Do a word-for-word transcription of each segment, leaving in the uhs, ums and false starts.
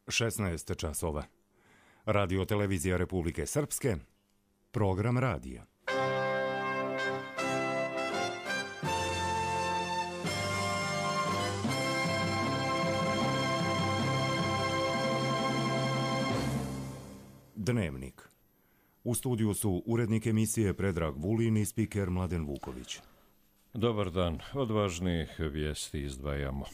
šesnaest časova. Radio televizija Republike Srpske, program radija. Dnevnik. U studiju su urednik emisije Predrag Vulin i spiker Mladen Vuković. Dobar dan, od važnijih vijesti izdvajamo.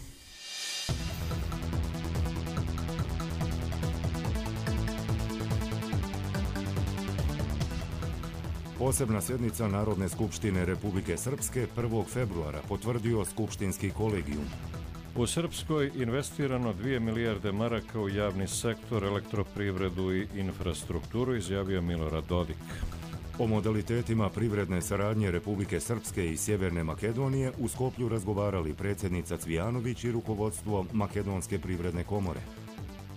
Posebna sjednica Narodne skupštine Republike Srpske prvog februara potvrdio skupštinski kolegijum. U Srpskoj investirano dvije milijarde maraka u javni sektor, elektroprivredu i infrastrukturu, izjavio Milorad Dodik. O modalitetima privredne saradnje Republike Srpske i Sjeverne Makedonije u Skoplju razgovarali predsjednica Cvijanović i rukovodstvo Makedonske privredne komore.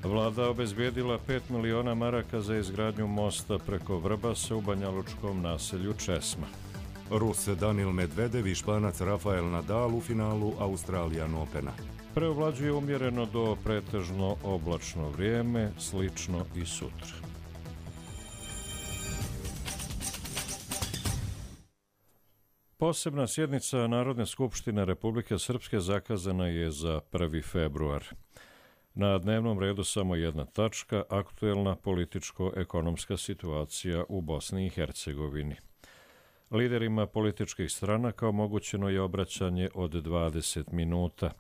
Vlada obezbijedila pet miliona maraka za izgradnju mosta preko Vrbasa u banjalučkom naselju Česma. Rus Danil Medvedev i Španac Rafael Nadal u finalu Australian Opena. Preovlađuje umjereno do pretežno oblačno vrijeme, slično i sutra. Posebna sjednica Narodne skupštine Republike Srpske zakazana je za prvi februar. Na dnevnom redu samo jedna tačka, aktuelna političko-ekonomska situacija u Bosni i Hercegovini. Liderima političkih stranaka omogućeno je obraćanje od dvadeset minuta.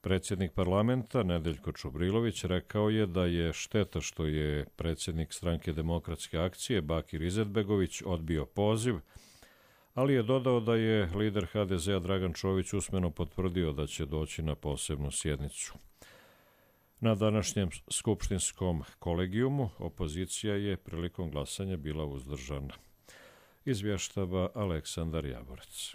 Predsjednik parlamenta Nedeljko Čubrilović rekao je da je šteta što je predsjednik Stranke demokratske akcije Bakir Izetbegović odbio poziv, ali je dodao da je lider ha de zea Dragan Čović usmeno potvrdio da će doći na posebnu sjednicu. Na današnjem skupštinskom kolegijumu opozicija je prilikom glasanja bila uzdržana. Izvještava Aleksandar Javorec.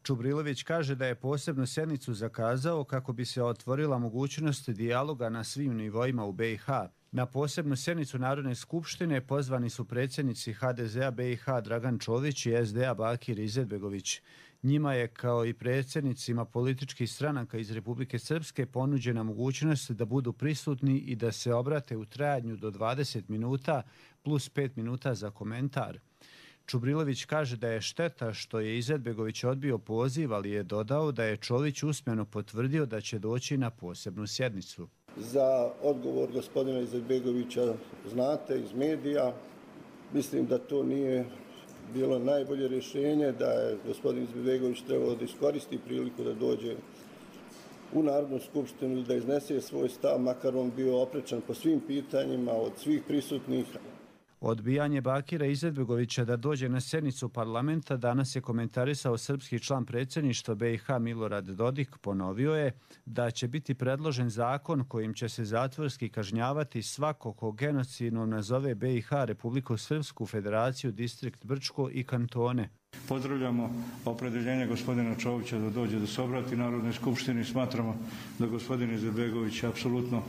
Čubrilović kaže da je posebnu sjednicu zakazao kako bi se otvorila mogućnost dijaloga na svim nivoima u be i ha. Na posebnu sjednicu Narodne skupštine pozvani su predsjednici ha de zea be i ha Dragan Čović i es de a Bakir Izetbegović. Njima je, kao i predsjednicima političkih stranaka iz Republike Srpske, ponuđena mogućnost da budu prisutni i da se obrate u trajanju do dvadeset minuta plus pet minuta za komentar. Čubrilović kaže da je šteta što je Izetbegović odbio poziv, ali je dodao da je Čović usmeno potvrdio da će doći na posebnu sjednicu. Za odgovor gospodina Izetbegovića znate iz medija. Mislim da to nije bilo najbolje rješenje, da je gospodin Izetbegović trebalo da iskoristi priliku da dođe u Narodnu skupštinu i da iznese svoj stav, makar on bio oprečan po svim pitanjima od svih prisutnih. Odbijanje Bakira Izetbegovića da dođe na sjednicu parlamenta danas je komentarisao srpski član predsjedništva be i ha Milorad Dodik. Ponovio je da će biti predložen zakon kojim će se zatvorski kažnjavati svako ko genocidno nazove be i ha, Republiku Srpsku, Federaciju, Distrikt Brčko i kantone. Pozdravljamo opredjeljenje gospodina Čovića da dođe da se obrati Narodnoj skupštini. Smatramo da gospodin Izetbegović apsolutno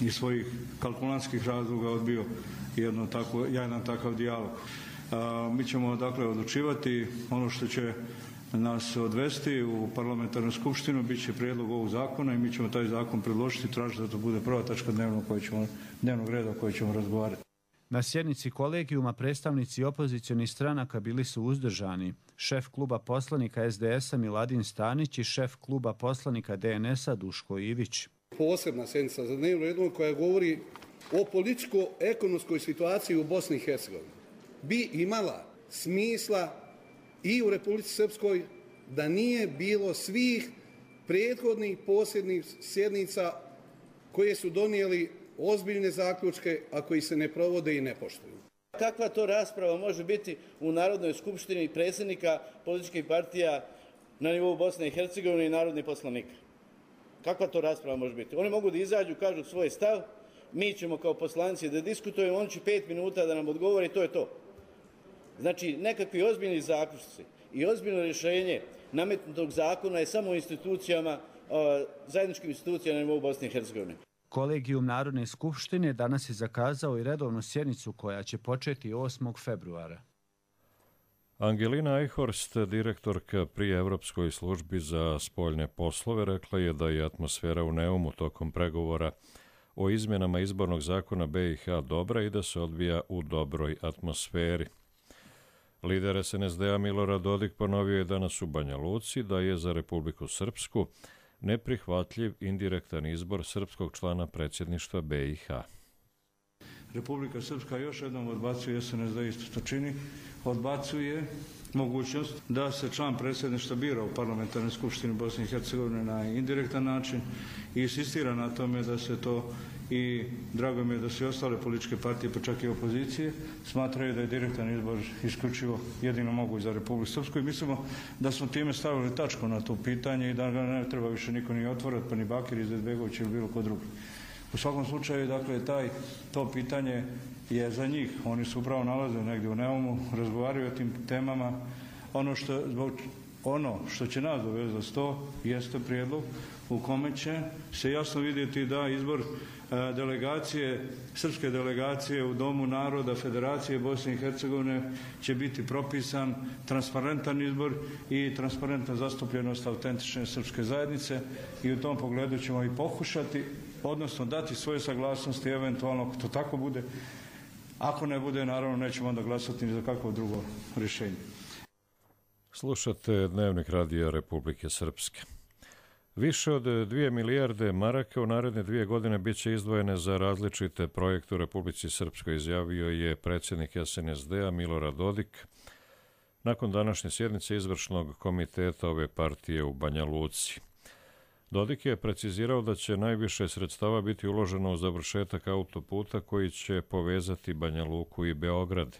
iz svojih kalkulantskih razloga odbio jedno tako, jedan takav dijalog. A, mi ćemo dakle odlučivati. Ono što će nas odvesti u parlamentarnu skupštinu bit će prijedlog ovog zakona i mi ćemo taj zakon predložiti i tražiti da to bude prva tačka dnevnog, koji ćemo, dnevnog reda o kojoj ćemo razgovarati. Na sjednici kolegijuma predstavnici opozicionih stranaka bili su uzdržani. Šef kluba poslanika es de es a Miladin Stanić i šef kluba poslanika de en es a Duško Ivić. Posebna sjednica za dnevno redu koja govori o političko-ekonomskoj situaciji u Bosni i Hercegovini bi imala smisla i u Republici Srpskoj da nije bilo svih prethodnih posebnih sjednica koje su donijeli ozbiljne zaključke, a koji se ne provode i ne poštuju. Kakva to rasprava može biti u Narodnoj skupštini predsjednika političkih partija na nivou Bosne i Hercegovine i narodnih poslanika? Kakva to rasprava može biti? Oni mogu da izađu, kažu svoj stav, mi ćemo kao poslanici da diskutujemo, on će pet minuta da nam odgovori, to je to. Znači, nekakvi ozbiljni zaključci i ozbiljno rješenje nametnutog zakona je samo u institucijama, zajedničkim institucijama na nivou Bosne i Hercegovine. Kolegijum Narodne skupštine danas je zakazao i redovnu sjednicu koja će početi osmog februara. Angelina Eichhorst, direktorka pri Evropskoj službi za spoljne poslove, rekla je da je atmosfera u Neumu tokom pregovora o izmjenama izbornog zakona be i ha dobra i da se odvija u dobroj atmosferi. Lider es en es de-a Milorad Dodik ponovio je danas u Banja Luci da je za Republiku Srpsku neprihvatljiv indirektan izbor srpskog člana predsjedništva be i ha. Republika Srpska još jednom odbacuje, es en es de isto to čini, odbacuje mogućnost da se član predsjedništva bira u parlamentarnoj skupštini Bosne i Hercegovine na indirektan način i insistira na tome da se to, i drago mi je da se ostale političke partije, pa čak i opozicije, smatraju da je direktan izbor isključivo jedino moguć za Republiku Srpsku i mislimo da smo time stavili tačku na to pitanje i da ga ne treba više niko ni otvorati, pa ni Bakir Izetbegović ili bilo ko drugi. U svakom slučaju, dakle, taj, to pitanje je za njih. Oni su upravo nalaze negdje u Neumu, razgovaraju o tim temama. Ono što, zbog, ono što će nas dovesti za sto jeste prijedlog u kome će se jasno vidjeti da izbor e, delegacije, srpske delegacije u Domu naroda Federacije Bosne i Hercegovine će biti propisan transparentan izbor i transparentna zastupljenost autentične srpske zajednice i u tom pogledu ćemo i pokušati, odnosno dati svoje saglasnosti, eventualno ako to tako bude. Ako ne bude, naravno nećemo onda glasati ni za kakvo drugo rješenje. Slušate Dnevnik Radija Republike Srpske. Više od dvije milijarde maraka u naredne dvije godine bit će izdvojene za različite projekte u Republici Srpskoj, izjavio je predsjednik es en es de-a Milorad Dodik nakon današnje sjednice izvršnog komiteta ove partije u Banja Luci. Dodik je precizirao da će najviše sredstava biti uloženo u završetak autoputa koji će povezati Banja Luku i Beograd,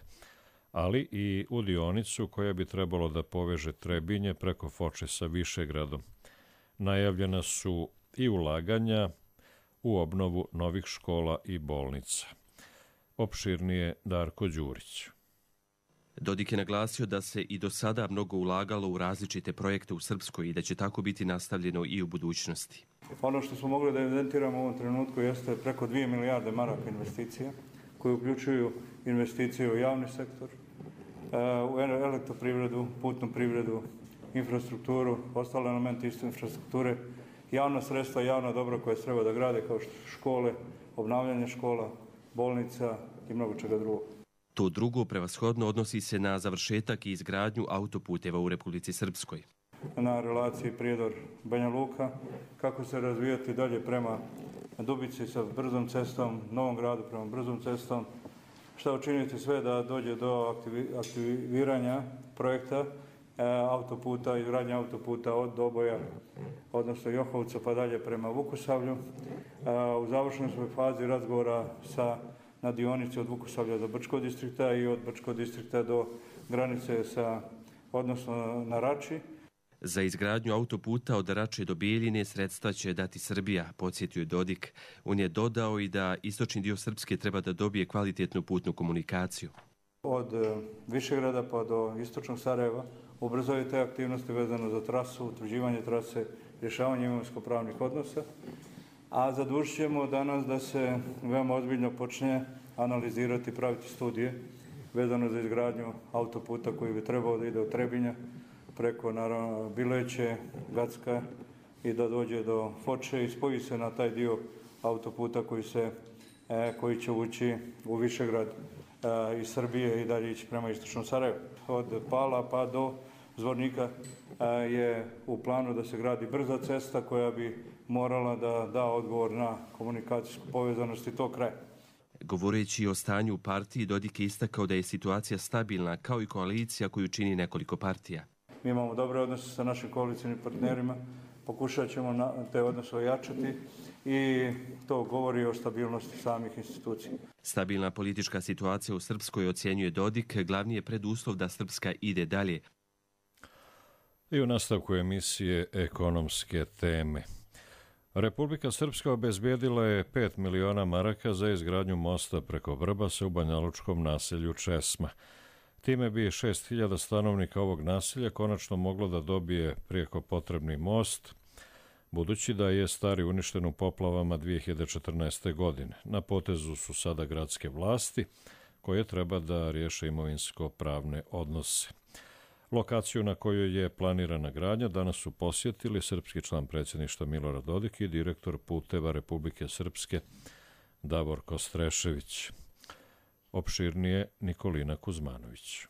ali i u dionicu koja bi trebalo da poveže Trebinje preko Foče sa Višegradom. Najavljena su i ulaganja u obnovu novih škola i bolnica. Opširnije Darko Đurić. Dodik je naglasio da se i do sada mnogo ulagalo u različite projekte u Srpskoj i da će tako biti nastavljeno i u budućnosti. Ono što smo mogli da evidentiramo u ovom trenutku jeste preko dvije milijarde maraka investicija, koje uključuju investicije u javni sektor, u elektroprivredu, putnu privredu, infrastrukturu, ostale elementi isto infrastrukture, javna sredstva, javna dobra koje treba da grade kao što škole, obnavljanje škola, bolnica i mnogo čega drugog. To drugo prevashodno odnosi se na završetak i izgradnju autoputeva u Republici Srpskoj. Na relaciji Prijedor-Banja Luka, kako se razvijati dalje prema Dubici sa brzom cestom, Novom Gradu prema brzom cestom, šta učiniti sve da dođe do aktiviranja projekta e, autoputa, izgradnje autoputa od Doboja, odnosno Johovca pa dalje prema Vukusavlju. E, u završnoj svoj fazi razgovora sa na dionici od Vukusavlja do Brčkog distrikta i od Brčkog distrikta do granice sa, odnosno na Rači. Za izgradnju autoputa od Rače do Bijeljine sredstva će dati Srbija, podsjetio je Dodik. On je dodao i da istočni dio Srpske treba da dobije kvalitetnu putnu komunikaciju. Od Višegrada pa do istočnog Sarajeva ubrzaju te aktivnosti vezano za trasu, utvrđivanje trase, rješavanje imovinsko-pravnih odnosa. A zadužit ćemo danas da se veoma ozbiljno počne analizirati, praviti studije vezano za izgradnju autoputa koji bi trebao da ide od Trebinja preko naravno Bileće, Gacka i da dođe do Foče i spoji se na taj dio autoputa koji, se, e, koji će ući u Višegrad e, iz Srbije i dalje ići prema istočnom Sarajevu. Od Pala pa do Zvornika e, je u planu da se gradi brza cesta koja bi morala da da odgovor na komunikacijsku povezanost i to kraja. Govoreći o stanju u partiji, Dodik je istakao da je situacija stabilna kao i koalicija koju čini nekoliko partija. Mi imamo dobre odnose sa našim koalicijnim partnerima, pokušat ćemo na te odnose ojačati i to govori o stabilnosti samih institucija. Stabilna politička situacija u Srpskoj, ocjenjuje Dodik, glavni je preduslov da Srpska ide dalje. I u nastavku emisije ekonomske teme. Republika Srpska obezbijedila je pet miliona maraka za izgradnju mosta preko Vrbasa u banjalučkom naselju Česma. Time bi šest hiljada stanovnika ovog naselja konačno moglo da dobije prijeko potrebni most, budući da je stari uništen u poplavama dvije hiljade četrnaeste. godine. Na potezu su sada gradske vlasti, koje treba da riješe imovinsko-pravne odnose. Lokaciju na kojoj je planirana gradnja danas su posjetili srpski član predsjedništva Milorad Dodik i direktor puteva Republike Srpske Davorko Strešević. Opširnije Nikolina Kuzmanović.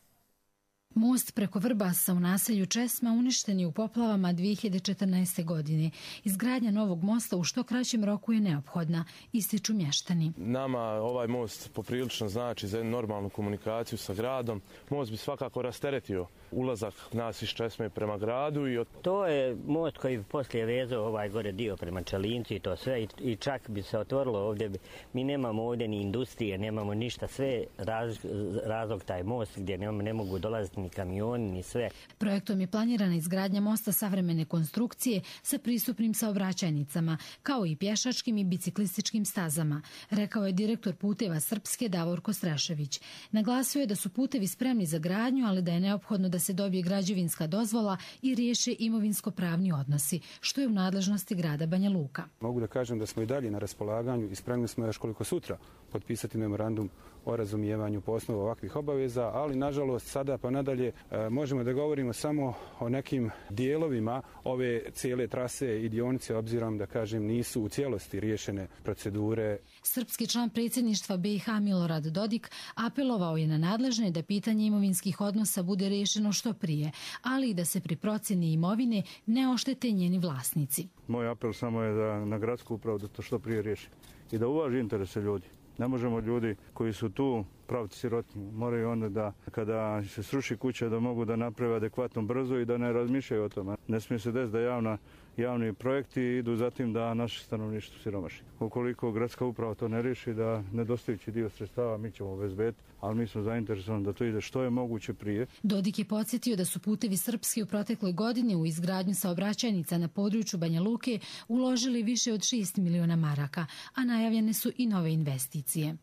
Most preko Vrbasa u naselju Česma uništen je u poplavama dvije hiljade četrnaeste. godine. Izgradnja novog mosta u što kraćem roku je neophodna, ističu mještani. Nama ovaj most poprilično znači za jednu normalnu komunikaciju sa gradom. Most bi svakako rasteretio ulazak nas iz Česme prema gradu. I od... To je most koji bi poslije vezao ovaj gore dio prema Čelincu i to sve i čak bi se otvorilo ovdje. Mi nemamo ovdje ni industrije, nemamo ništa, sve raz, razlog taj most gdje ne, ne mogu dolaziti ni kamioni, ni sve. Projektom je planirana izgradnja mosta savremene konstrukcije sa pristupnim saobraćajnicama, kao i pješačkim i biciklističkim stazama, rekao je direktor Puteva Srpske Davorko Strešević. Naglasio je da su putevi spremni za gradnju, ali da je neophodno da se dobije građevinska dozvola i riješe imovinsko-pravni odnosi, što je u nadležnosti grada Banja Luka. Mogu da kažem da smo i dalje na raspolaganju i spremni smo još koliko sutra potpisati memorandum o razumijevanju po osnovu ovakvih obaveza, ali nažalost sada pa nadalje e, možemo da govorimo samo o nekim dijelovima ove cijele trase i dionice, obzirom da kažem nisu u cijelosti riješene procedure. Srpski član predsjedništva B i H Milorad Dodik apelovao je na nadležne da pitanje imovinskih odnosa bude riješeno što prije, ali i da se pri procjeni imovine ne oštete njeni vlasnici. Moj apel samo je da na gradsku upravu da to što prije riješi i da uvaži interese ljudi. Ne možemo ljudi koji su tu praviti sirotinju. Moraju onda da kada se sruši kuća da mogu da naprave adekvatno brzo i da ne razmišljaju o tome. Ne smije se desiti da javna, javni projekti idu zatim da naše stanovništvo siromaši. Ukoliko gradska uprava to ne riješi, da nedostajući dio sredstava mi ćemo obezbediti, ali mi smo zainteresovani da to ide što je moguće prije. Dodik je podsjetio da su Putevi Srpski u protekloj godini u izgradnju saobraćajnica na području Banja Luke uložili više od šest miliona maraka, a najavljene su i nove investicije.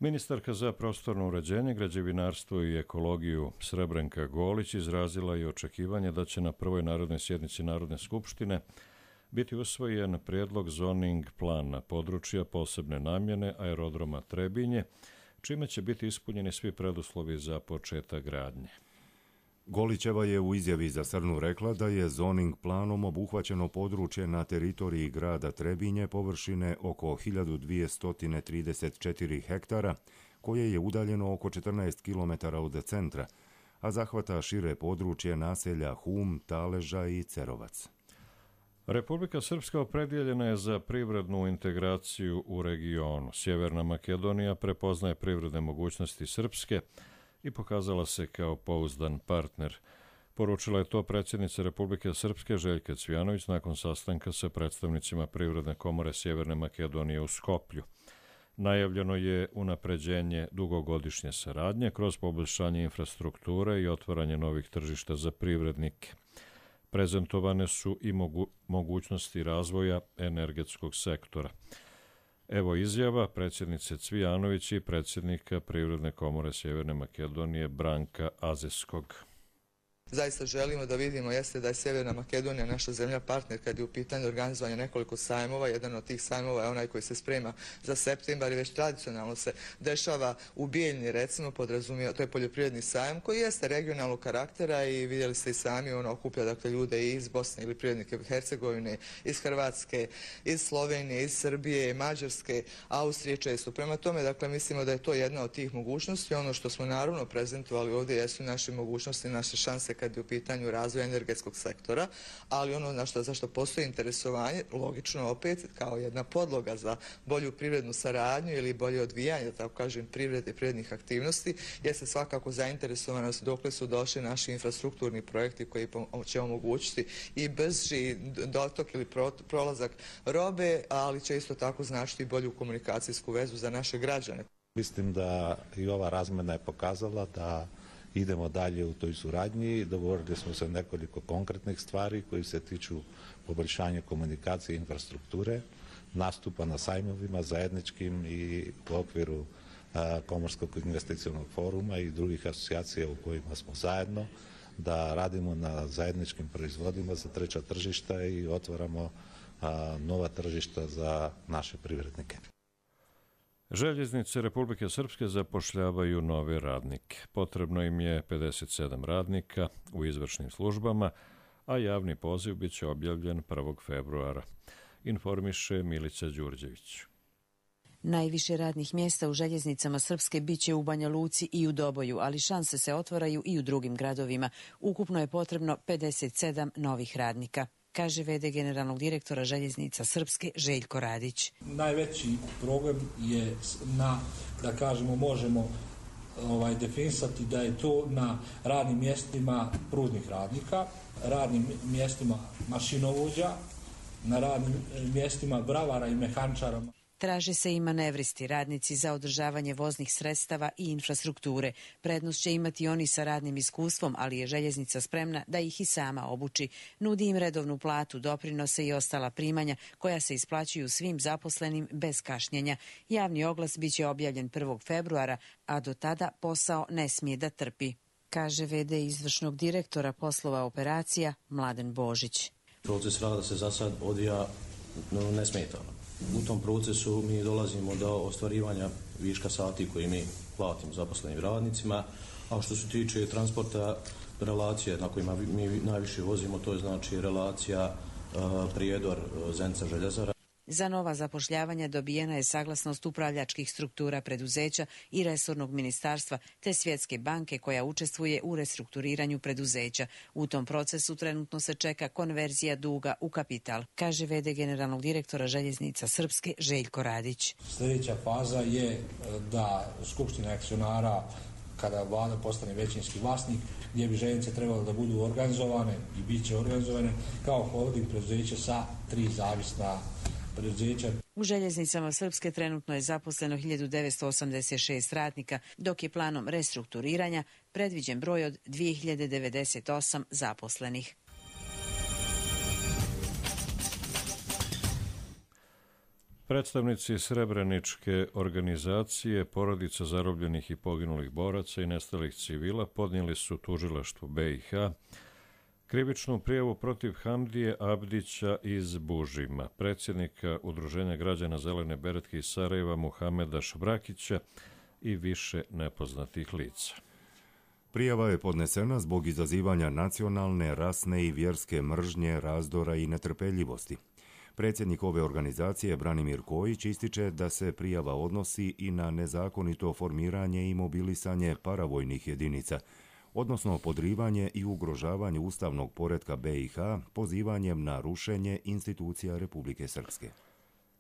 Ministarka za prostorno uređenje, građevinarstvo i ekologiju Srebrenka Golić izrazila je očekivanje da će na prvoj narodnoj sjednici Narodne skupštine biti usvojen prijedlog zoning plana područja posebne namjene aerodroma Trebinje, čime će biti ispunjeni svi preduslovi za početak gradnje. Golićeva je u izjavi za Srnu rekla da je zoning planom obuhvaćeno područje na teritoriji grada Trebinje površine oko hiljadu dvjesto trideset četiri hektara, koje je udaljeno oko četrnaest kilometara od centra, a zahvata šire područje naselja Hum, Taleža i Cerovac. Republika Srpska opredjeljena je za privrednu integraciju u regionu. Sjeverna Makedonija prepoznaje privredne mogućnosti Srpske i pokazala se kao pouzdan partner. Poručila je to predsjednica Republike Srpske Željka Cvijanović nakon sastanka sa predstavnicima Privredne komore Sjeverne Makedonije u Skoplju. Najavljeno je unapređenje dugogodišnje saradnje kroz poboljšanje infrastrukture i otvaranje novih tržišta za privrednike. Prezentovane su i mogu, mogućnosti razvoja energetskog sektora. Evo izjava predsjednice Cvijanović i predsjednika Privredne komore Sjeverne Makedonije Branka Azeskog. Zaista želimo da vidimo jeste da je Sjeverna Makedonija naša zemlja partner kad je u pitanju organizovanja nekoliko sajmova. Jedan od tih sajmova je onaj koji se sprema za septembar i već tradicionalno se dešava u Bijeljni, recimo, podrazumije, to je poljoprivredni sajam koji jeste regionalnog karaktera i vidjeli ste i sami, ono okuplja dakle ljude iz Bosne ili privrednike Hercegovine, iz Hrvatske, iz Slovenije, iz Srbije, Mađarske, Austrije često. Prema tome, dakle, mislimo da je to jedna od tih mogućnosti. Ono što smo naravno prezentovali ovdje jesu naše mogućnosti, naše šanse kad je u pitanju razvoja energetskog sektora, ali ono na što, zašto postoji interesovanje, logično opet kao jedna podloga za bolju privrednu saradnju ili bolje odvijanje, da tako kažem, privrede i privrednih aktivnosti, jeste svakako zainteresovanost dokle su došli naši infrastrukturni projekti koji će omogućiti i brži dotok ili prolazak robe, ali će isto tako značiti bolju komunikacijsku vezu za naše građane. Mislim da i ova razmjena je pokazala da idemo dalje u toj suradnji. Dogovorili smo se nekoliko konkretnih stvari koji se tiču poboljšanja komunikacije i infrastrukture, nastupa na sajmovima zajedničkim i u okviru a, Komorskog investicionog foruma i drugih asocijacija u kojima smo zajedno, da radimo na zajedničkim proizvodima za treća tržišta i otvaramo a, nova tržišta za naše privrednike. Željeznice Republike Srpske zapošljavaju nove radnike. Potrebno im je pedeset sedam radnika u izvršnim službama, a javni poziv biće objavljen prvog februara, informiše Milica Đurđević. Najviše radnih mjesta u željeznicama Srpske biće u Banja Luci i u Doboju, ali šanse se otvaraju i u drugim gradovima. Ukupno je potrebno pedeset sedam novih radnika, kaže ve de generalnog direktora željeznica Srpske Željko Radić. Najveći problem je na, da kažemo, možemo ovaj, definisati da je to na radnim mjestima pružnih radnika, radnim mjestima mašinovođa, na radnim mjestima bravara i mehančara. Traže se i manevristi, radnici za održavanje voznih sredstava i infrastrukture. Prednost će imati oni sa radnim iskustvom, ali je željeznica spremna da ih i sama obuči. Nudi im redovnu platu, doprinose i ostala primanja koja se isplaćuju svim zaposlenim bez kašnjenja. Javni oglas biće objavljen prvog februara, a do tada posao ne smije da trpi, kaže ve de izvršnog direktora poslova operacija Mladen Božić. Proces rada se za sad odvija nesmetano. U tom procesu mi dolazimo do ostvarivanja viška sati koji mi platimo zaposlenim radnicima, a što se tiče transporta, relacije na kojima mi najviše vozimo, to je znači relacija Prijedor Zenica Željezara. Za nova zapošljavanja dobijena je saglasnost upravljačkih struktura preduzeća i resornog ministarstva te Svjetske banke koja učestvuje u restrukturiranju preduzeća. U tom procesu trenutno se čeka konverzija duga u kapital, kaže ve de generalnog direktora željeznica Srpske Željko Radić. Sljedeća faza je da Skupština akcionara, kada vlada postane većinski vlasnik, gdje bi željeznice trebalo da budu organizovane i bit će organizovane kao holding preduzeća sa tri zavisna preduzeća. U željeznicama Srpske trenutno je zaposleno hiljadu devetsto osamdeset šest radnika, dok je planom restrukturiranja predviđen broj od dvije hiljade devedeset osam zaposlenih. Predstavnici Srebreničke organizacije, porodica zarobljenih i poginulih boraca i nestalih civila podnijeli su tužilaštvu be i ha krivičnu prijavu protiv Hamdije Abdića iz Bužima, predsjednika Udruženja građana Zelene beretke iz Sarajeva Muhameda Švrakića i više nepoznatih lica. Prijava je podnesena zbog izazivanja nacionalne, rasne i vjerske mržnje, razdora i netrpeljivosti. Predsjednik ove organizacije Branimir Kojić ističe da se prijava odnosi i na nezakonito formiranje i mobilisanje paravojnih jedinica, odnosno podrivanje i ugrožavanje ustavnog poretka be i ha pozivanjem na rušenje institucija Republike Srpske.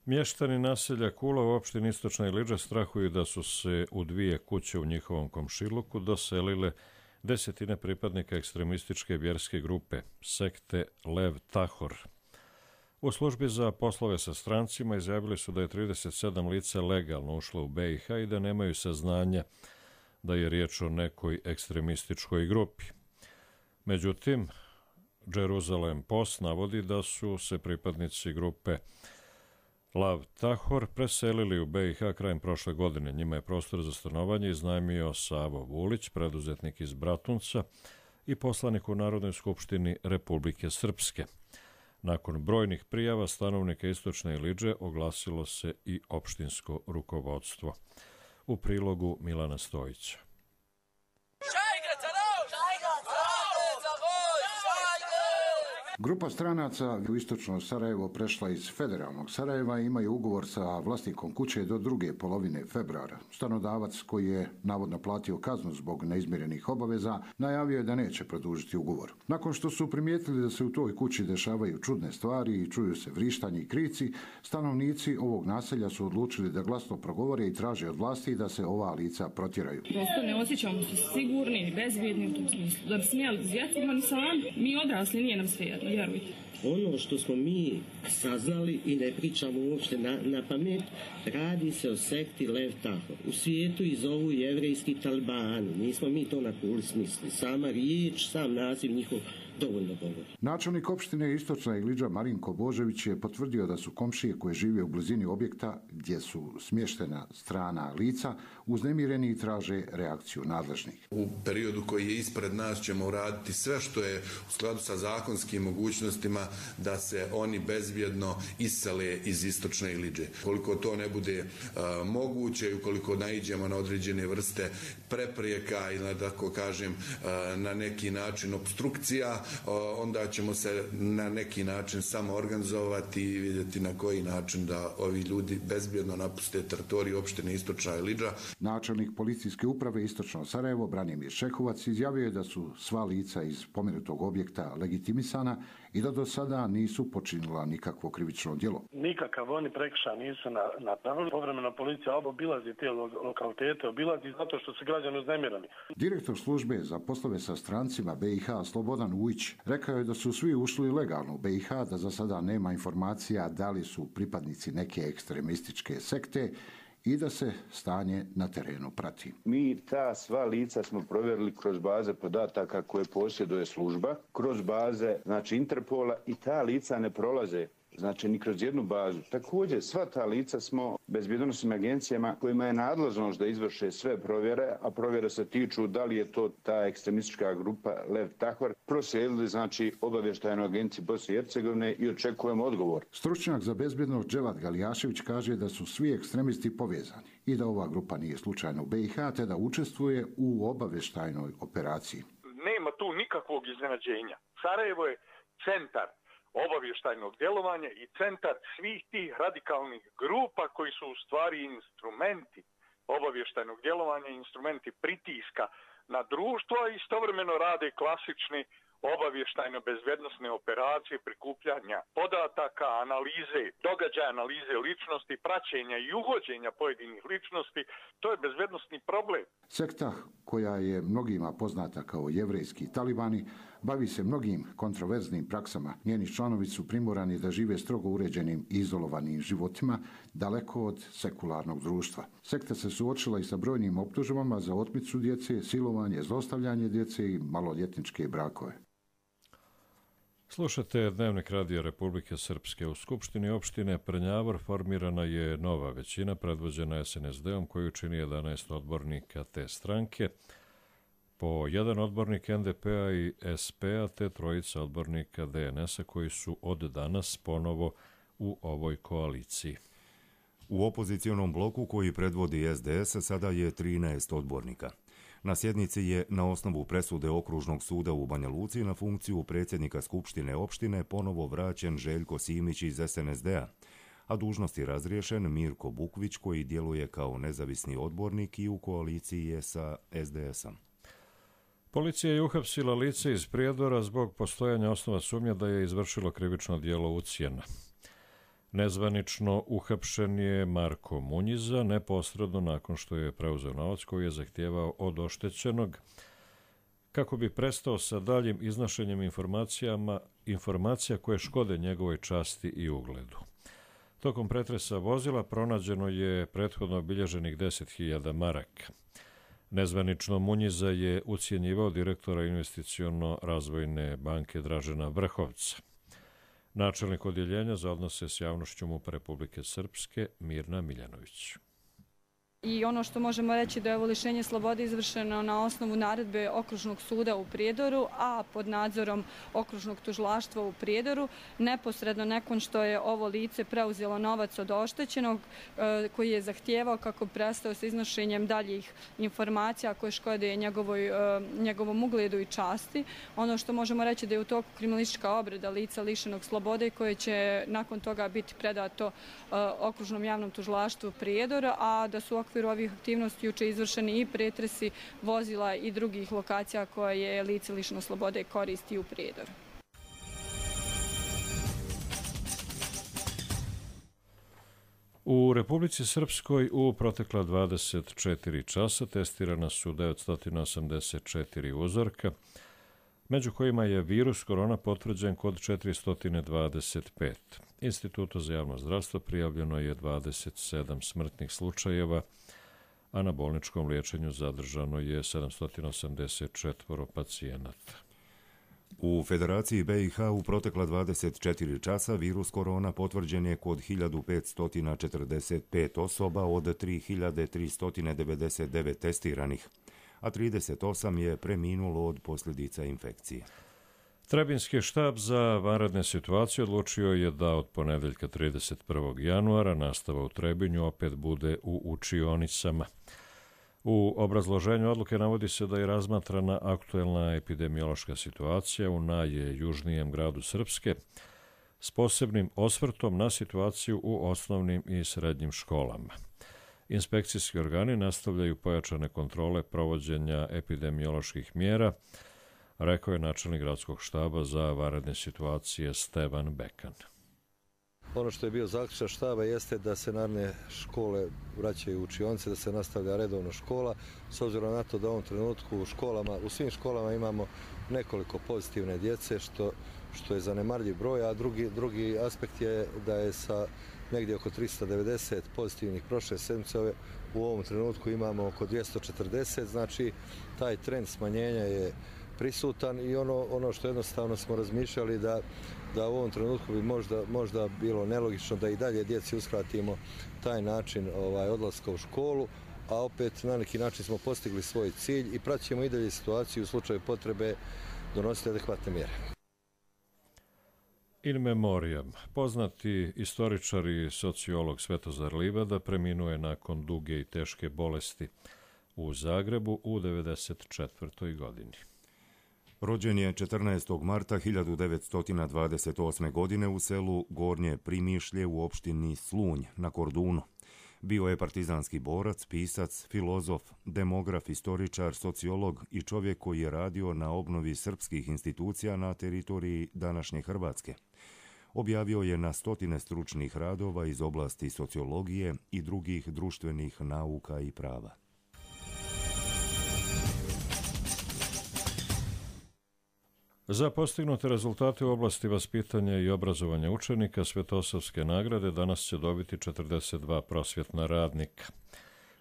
Mještani naselja Kula u opštini Istočna Iliđa strahuju da su se u dvije kuće u njihovom komšiluku doselile desetine pripadnika ekstremističke vjerske grupe, sekte Lev Tahor. U službi za poslove sa strancima izjavili su da je trideset sedam lica legalno ušlo u be i ha i da nemaju saznanja da je riječ o nekoj ekstremističkoj grupi. Međutim, Jerusalem Post navodi da su se pripadnici grupe Lav Tahor preselili u be i ha krajem prošle godine. Njima je prostor za stanovanje iznajmio Savo Vulić, preduzetnik iz Bratunca i poslanik u Narodnoj skupštini Republike Srpske. Nakon brojnih prijava stanovnika Istočne Iliđe oglasilo se i opštinsko rukovodstvo. U prilogu Milana Stojića. Grupa stranaca u istočno Sarajevo prešla iz federalnog Sarajeva i imaju ugovor sa vlasnikom kuće do druge polovine februara. Stanodavac, koji je navodno platio kaznu zbog neizmirenih obaveza, najavio je da neće produžiti ugovor. Nakon što su primijetili da se u toj kući dešavaju čudne stvari i čuju se vrištanje i krici, stanovnici ovog naselja su odlučili da glasno progovore i traže od vlasti da se ova lica protjeraju. Prosto ne osjećamo se sigurni i bezbjedni u tom smislu. Da bi smijeli zvjetima ni sami, mi odrasli nije nam svejedno, vjerujte. Ono što smo mi saznali i ne pričamo uopšte na, na pamet, radi se o sekti Lev Tahor. U svijetu ih zovu jevrejski talibani. Nismo mi to na kuli smisli. Sama riječ, sam naziv njihov dovoljno govori. Načelnik opštine Istočna Iliđa Marinko Božević je potvrdio da su komšije koje žive u blizini objekta gdje su smještena strana lica uznemireni i traže reakciju nadležnih. U periodu koji je ispred nas ćemo uraditi sve što je u skladu sa zakonskim mogućnostima da se oni bezbjedno isele iz Istočne Iliđe. Koliko to ne bude uh, moguće i ukoliko naiđemo na određene vrste prepreka ili, da tako kažem, uh, na neki način obstrukcija, onda ćemo se na neki način samo organizovati i vidjeti na koji način da ovi ljudi bezbjedno napuste teritoriju opštine Istočna Iliđa. Načelnik policijske uprave Istočno Sarajevo, Branimir Šehovac, izjavio je da su sva lica iz pomenutog objekta legitimisana i da do sada nisu počinila nikakvo krivično djelo. Nikakav oni prekršaj nisu napravili. Povremeno policija obilazi te lokalitete, obilazi zato što su građani uznemirani. Direktor službe za poslove sa strancima B i H Slobodan Ujić rekao je da su svi ušli legalno u B i H, da za sada nema informacija da li su pripadnici neke ekstremističke sekte i da se stanje na terenu prati. Mi ta sva lica smo provjerili kroz baze podataka koje posjeduje služba, kroz baze znači Interpola i ta lica ne prolaze znači ni kroz jednu bazu. Također sva ta lica smo bezbjednosnim agencijama kojima je nadležnost da izvrše sve provjere, a provjere se tiču da li je to ta ekstremistička grupa Lev Tahvar, proslijedili znači obavještajnoj agenciji Bosne i Hercegovine i očekujemo odgovor. Stručnjak za bezbjednost Dževat Galijašević kaže da su svi ekstremisti povezani i da ova grupa nije slučajno u B i H, te da učestvuje u obavještajnoj operaciji. Nema tu nikakvog iznenađenja. Sarajevo je centar obavještajnog djelovanja i centar svih tih radikalnih grupa koji su u stvari instrumenti obavještajnog djelovanja, instrumenti pritiska na društvo, a istovremeno rade klasične obavještajno-bezbjednosne operacije prikupljanja podataka, analize događaja, analize ličnosti, praćenja i uhođenja pojedinih ličnosti. To je bezbjednosni problem. Sekta, koja je mnogima poznata kao jevrejski talibani, bavi se mnogim kontroverznim praksama. Njeni članovi su primorani da žive strogo uređenim i izolovanim životima, daleko od sekularnog društva. Sekta se suočila i sa brojnim optužbama za otmicu djece, silovanje, zlostavljanje djece i maloljetničke brakove. Slušate Dnevnik Radija Republike Srpske. U Skupštini opštine Prnjavor formirana je nova većina predvođena es en es de-om koju čini jedanaest odbornika te stranke, po jedan odbornik en de pe-a i es pe-a te trojica odbornika de en es-a koji su od danas ponovo u ovoj koaliciji. U opozicionom bloku koji predvodi es de es sada je trinaest odbornika. Na sjednici je na osnovu presude Okružnog suda u Banja Luci na funkciju predsjednika Skupštine opštine ponovo vraćen Željko Simić iz es en es de-a, a dužnost je razriješen Mirko Bukvić koji djeluje kao nezavisni odbornik i u koaliciji je sa es de es-om. Policija je uhapsila lice iz Prijedora zbog postojanja osnova sumnje da je izvršilo krivično djelo ucjena. Nezvanično uhapšen je Marko Munjiza neposredno nakon što je preuzeo novac koji je zahtijevao od oštećenog kako bi prestao sa daljim iznošenjem informacijama, informacija koje škode njegovoj časti i ugledu. Tokom pretresa vozila pronađeno je prethodno obilježenih deset hiljada maraka. Nezvanično Munjiza je ucjenjivao direktora investiciono-razvojne banke Dražena Vrhovca. Načelnik odjeljenja za odnose s javnošću MUP Republike Srpske Mirna Miljanović. I ono što možemo reći da je ovo lišenje slobode izvršeno na osnovu naredbe Okružnog suda u Prijedoru, a pod nadzorom Okružnog tužilaštva u Prijedoru, neposredno nakon što je ovo lice preuzelo novac od oštećenog koji je zahtijevao kako prestao sa iznošenjem daljih informacija koje škode njegovoj, njegovom ugledu i časti. Ono što možemo reći da je u toku kriminalistička obrada lica lišenog slobode koje će nakon toga biti predato Okružnom javnom tužilaštvu Prijedora, a da su u okviru ovih aktivnosti juče izvršeni i pretresi vozila i drugih lokacija koje je lice lišeno slobode koristi u Prijedoru. U Republici Srpskoj u protekla dvadeset četiri časa testirana su devetsto osamdeset četiri uzorka, među kojima je virus korona potvrđen kod četiristo dvadeset pet. Institutu za javno zdravstvo prijavljeno je dvadeset sedam smrtnih slučajeva, a na bolničkom liječenju zadržano je sedamsto osamdeset četiri pacijenata. U Federaciji be i ha u protekla dvadeset četiri časa virus korona potvrđen je kod hiljadu petsto četrdeset pet osoba od tri hiljade tristo devedeset devet testiranih, a trideset osam je preminulo od posljedica infekcije. Trebinski štab za vanredne situacije odlučio je da od ponedeljka trideset prvog januara nastava u Trebinju opet bude u učionicama. U obrazloženju odluke navodi se da je razmatrana aktuelna epidemiološka situacija u najjužnijem gradu Srpske s posebnim osvrtom na situaciju u osnovnim i srednjim školama. Inspekcijski organi nastavljaju pojačane kontrole provođenja epidemioloških mjera, rekao je načelnik gradskog štaba za vanredne situacije Stevan Bekan. Ono što je bio zaključak štaba jeste da se naredne škole vraćaju u učionice, da se nastavlja redovno škola, s obzirom na to da u ovom trenutku u školama, u svim školama imamo nekoliko pozitivne djece, što, što je zanemarljiv broj, a drugi, drugi aspekt je da je sa negdje oko tristo devedeset pozitivnih prošle sedmice, u ovom trenutku imamo oko dvjesto četrdeset, znači taj trend smanjenja je prisutan i ono, ono što jednostavno smo razmišljali da, da u ovom trenutku bi možda, možda bilo nelogično da i dalje djeci uskratimo taj način ovaj, odlaska u školu, a opet na neki način smo postigli svoj cilj i praćemo i dalje situaciju u slučaju potrebe donositi adekvatne mjere. In memoriam. Poznati istoričar i sociolog Svetozar Livada preminuo je nakon duge i teške bolesti u Zagrebu u devedeset četvrtoj godini. Rođen je četrnaestog marta hiljadu devetsto dvadeset osme. godine u selu Gornje Primišlje u opštini Slunj na Kordunu. Bio je partizanski borac, pisac, filozof, demograf, istoričar, sociolog i čovjek koji je radio na obnovi srpskih institucija na teritoriji današnje Hrvatske. Objavio je na stotine stručnih radova iz oblasti sociologije i drugih društvenih nauka i prava. Za postignute rezultate u oblasti vaspitanja i obrazovanja učenika Svetosavske nagrade danas će dobiti četrdeset dva prosvjetna radnika.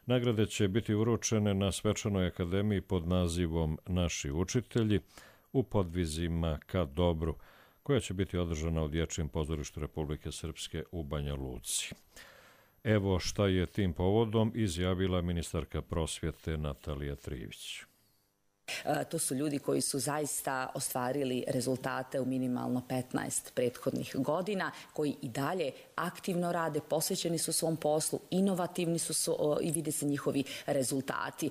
Nagrade će biti uručene na Svečanoj akademiji pod nazivom Naši učitelji u podvizima ka dobru, koja će biti održana u Dječjem pozorištu Republike Srpske u Banja Luci. Evo šta je tim povodom izjavila ministarka prosvjete Natalija Trivić. To su ljudi koji su zaista ostvarili rezultate u minimalno petnaest prethodnih godina, koji i dalje aktivno rade, posvećeni su svom poslu, inovativni su, su i vide se njihovi rezultati.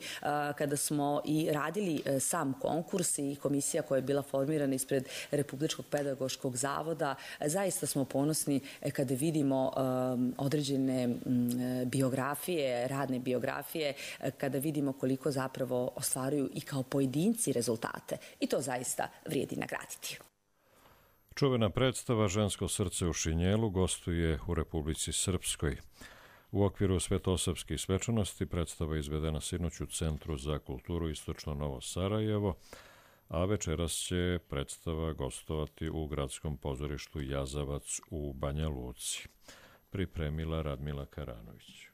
Kada smo i radili sam konkurs i komisija koja je bila formirana ispred Republičkog pedagoškog zavoda, zaista smo ponosni kada vidimo određene biografije, radne biografije, kada vidimo koliko zapravo ostvaruju i kao pojedinci rezultate i to zaista vrijedi nagraditi. Čuvena predstava Žensko srce u šinjelu gostuje u Republici Srpskoj. U okviru Svetosavskih svečanosti predstava je izvedena sinoć u Centru za kulturu Istočno Novo Sarajevo, a večeras će predstava gostovati u Gradskom pozorištu Jazavac u Banja Luci. Pripremila Radmila Karanović.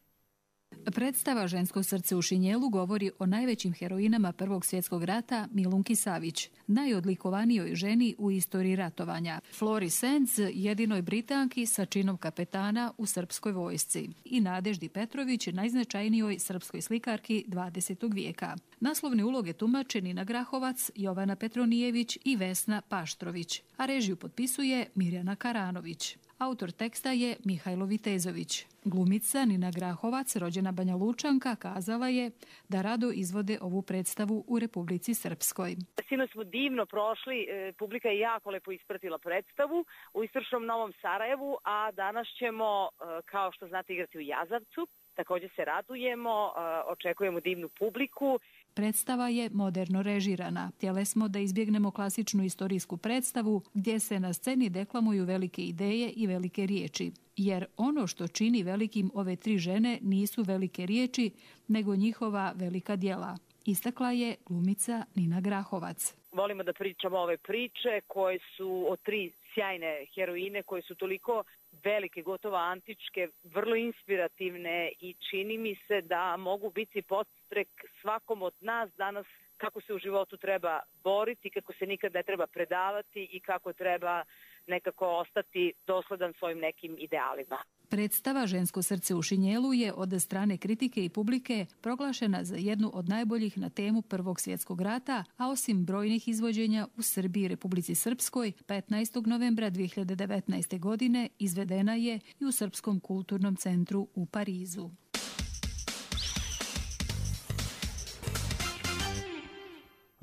Predstava Žensko srce u šinjelu govori o najvećim heroinama Prvog svjetskog rata Milunki Savić, najodlikovanijoj ženi u istoriji ratovanja, Flori Senc, jedinoj Britanki sa činom kapetana u srpskoj vojsci, i Nadeždi Petrović, najznačajnijoj srpskoj slikarki dvadesetog vijeka. Naslovne uloge tumače Nina Grahovac, Jovana Petronijević i Vesna Paštrović, a režiju potpisuje Mirjana Karanović. Autor teksta je Mihajlo Vitezović. Glumica Nina Grahovac, rođena Banja Lučanka, kazala je da rado izvode ovu predstavu u Republici Srpskoj. Sinoć smo divno prošli, publika je jako lepo ispratila predstavu u Istočnom Novom Sarajevu, a danas ćemo, kao što znate, igrati u Jazavcu. Također se radujemo, očekujemo divnu publiku. Predstava je moderno režirana. Htjeli smo da izbjegnemo klasičnu istorijsku predstavu gdje se na sceni deklamuju velike ideje i velike riječi. Jer ono što čini velikim ove tri žene nisu velike riječi, nego njihova velika djela. Istakla je glumica Nina Grahovac. Volimo da pričamo ove priče koje su od tri sjajne heroine koje su toliko velike, gotovo antičke, vrlo inspirativne i čini mi se da mogu biti podstrek svakom od nas danas kako se u životu treba boriti, kako se nikad ne treba predavati i kako treba nekako ostati dosledan svojim nekim idealima. Predstava Žensko srce u šinjelu je od strane kritike i publike proglašena za jednu od najboljih na temu Prvog svjetskog rata, a osim brojnih izvođenja u Srbiji i Republici Srpskoj, petnaestog novembra dvije hiljade devetnaeste. godine izvedena je i u Srpskom kulturnom centru u Parizu.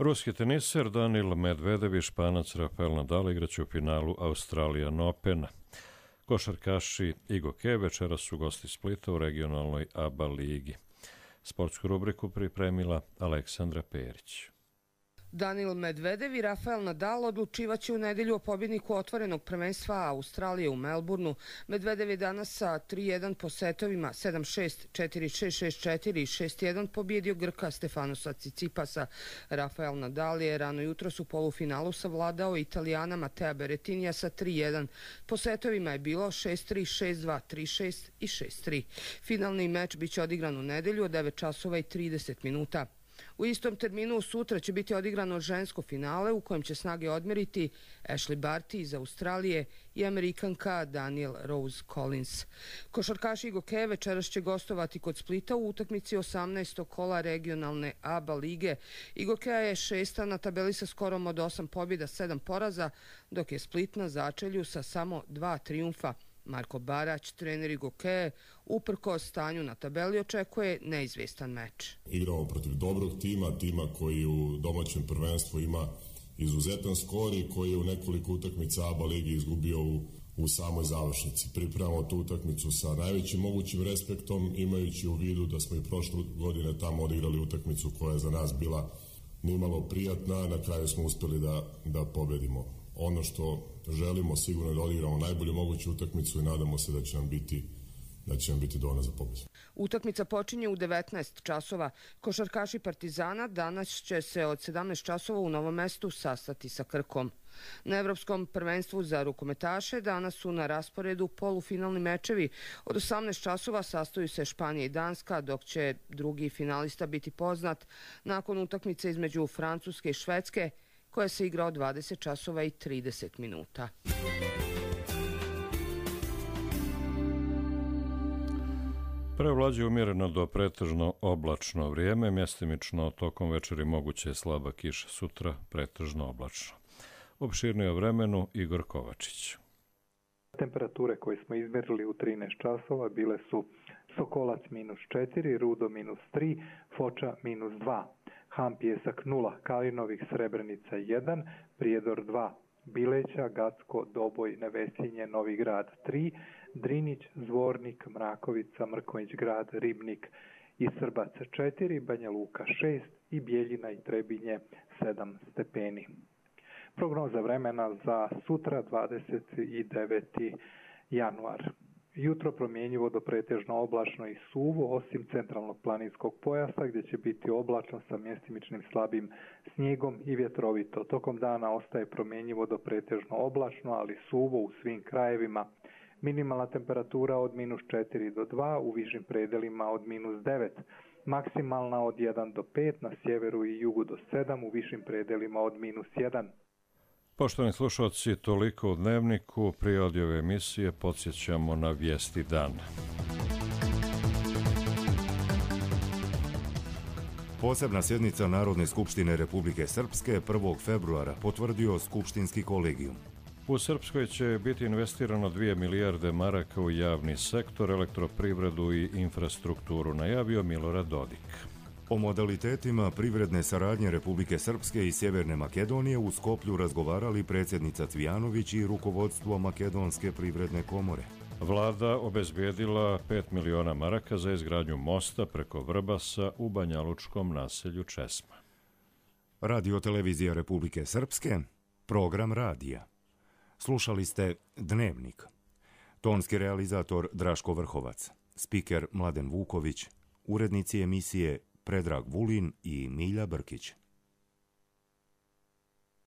Ruski teniser Danil Medvedev i Španac Rafael Nadal igraće u finalu Australian Opena. Košarkaši Igo Ke večeras su gosti Splita u regionalnoj A B A ligi. Sportsku rubriku pripremila Aleksandra Perić. Danil Medvedev i Rafael Nadal odlučivaće u nedjelju o pobjedniku otvorenog prvenstva Australije u Melbourneu. Medvedev je danas sa tri jedan po setovima sedam šest, četiri šest, šest četiri i šest jedan pobjedio Grka Stefanosa Tsitsipasa. Rafael Nadal je rano jutros u polufinalu savladao Italijana Matea Berrettinija sa tri jedan. Po setovima je bilo šest tri, šest dva, tri šest i šest tri. Finalni meč biće odigran u nedjelju od devet časova i trideset minuta. U istom terminu sutra će biti odigrano žensko finale u kojem će snage odmeriti Ashley Barty iz Australije i Amerikanka Danielle Rose Collins. Košarkaši Igo Ke večeras će gostovati kod Splita u utakmici osamnaestog kola regionalne A B A lige. Igo Ke je šesta na tabeli sa skorom od osam pobjeda, sedam poraza, dok je Split na začelju sa samo dva trijumfa. Marko Barać, trener Igo Ke, uprkos stanju na tabeli očekuje neizvjestan meč. Igramo protiv dobrog tima, tima koji u domaćem prvenstvu ima izuzetan skor i koji je u nekoliko utakmica A B A ligi izgubio u, u samoj završnici. Pripremamo tu utakmicu sa najvećim mogućim respektom, imajući u vidu da smo i prošle godine tamo odigrali utakmicu koja je za nas bila nimalo prijatna, na kraju smo uspjeli da, da pobedimo. Ono što želimo sigurno je da odigramo najbolju moguću utakmicu i nadamo se da će nam biti, da će nam biti dovoljno za pobjedu. Utakmica počinje u devetnaest časova. Košarkaši Partizana danas će se od sedamnaest časova u Novom Mestu sastati sa Krkom. Na Evropskom prvenstvu za rukometaše danas su na rasporedu polufinalni mečevi. Od osamnaest časova sastaju se Španija i Danska, dok će drugi finalista biti poznat nakon utakmice između Francuske i Švedske, koja se igra od dvadeset časova i trideset minuta. Prevlađuje umjereno do pretežno oblačno vrijeme, mjestimično tokom večeri moguće je slaba kiša, sutra pretežno oblačno. Opširnije o vremenu Igor Kovačić. Temperature koje smo izmjerili u trinaest časova bile su Sokolac minus četiri, Rudo minus tri, Foča minus dva. Han Pijesak nula, Kalinovih Srebrenica jedan, Prijedor dva, Bileća, Gacko, Doboj, Nevesinje, Novi Grad tri, Drinić, Zvornik, Mrakovica, Mrkonjić Grad, Ribnik i Srbac četiri, Banja Luka šest i Bijeljina i Trebinje sedam stepeni. Prognoza vremena za sutra dvadeset deveti januar. Jutro promjenjivo do pretežno oblačno i suvo, osim centralnog planinskog pojasa gdje će biti oblačno sa mjestimičnim slabim snijegom i vjetrovito. Tokom dana ostaje promjenjivo do pretežno oblačno, ali suvo u svim krajevima. Minimalna temperatura od minus četiri do dva, u višim predelima od minus devet. Maksimalna od jedan do pet, na sjeveru i jugu do sedam, u višim predelima od minus jedan. Poštovani slušalci, toliko u Dnevniku. Prije odjave emisije podsjećamo na vijesti dana. Posebna sjednica Narodne skupštine Republike Srpske prvog februara potvrdio skupštinski kolegijum. U Srpskoj će biti investirano dvije milijarde maraka u javni sektor, elektroprivredu i infrastrukturu, najavio Milorad Dodik. O modalitetima privredne saradnje Republike Srpske i Sjeverne Makedonije u Skoplju razgovarali predsjednica Cvijanović i rukovodstvo Makedonske privredne komore. Vlada obezbijedila pet miliona maraka za izgradnju mosta preko Vrbasa u banjalučkom naselju Česma. Radio televizija Republike Srpske, program radija. Slušali ste Dnevnik. Tonski realizator Draško Vrhovac, spiker Mladen Vuković, urednici emisije Predrag Vulin i Milja Brkić.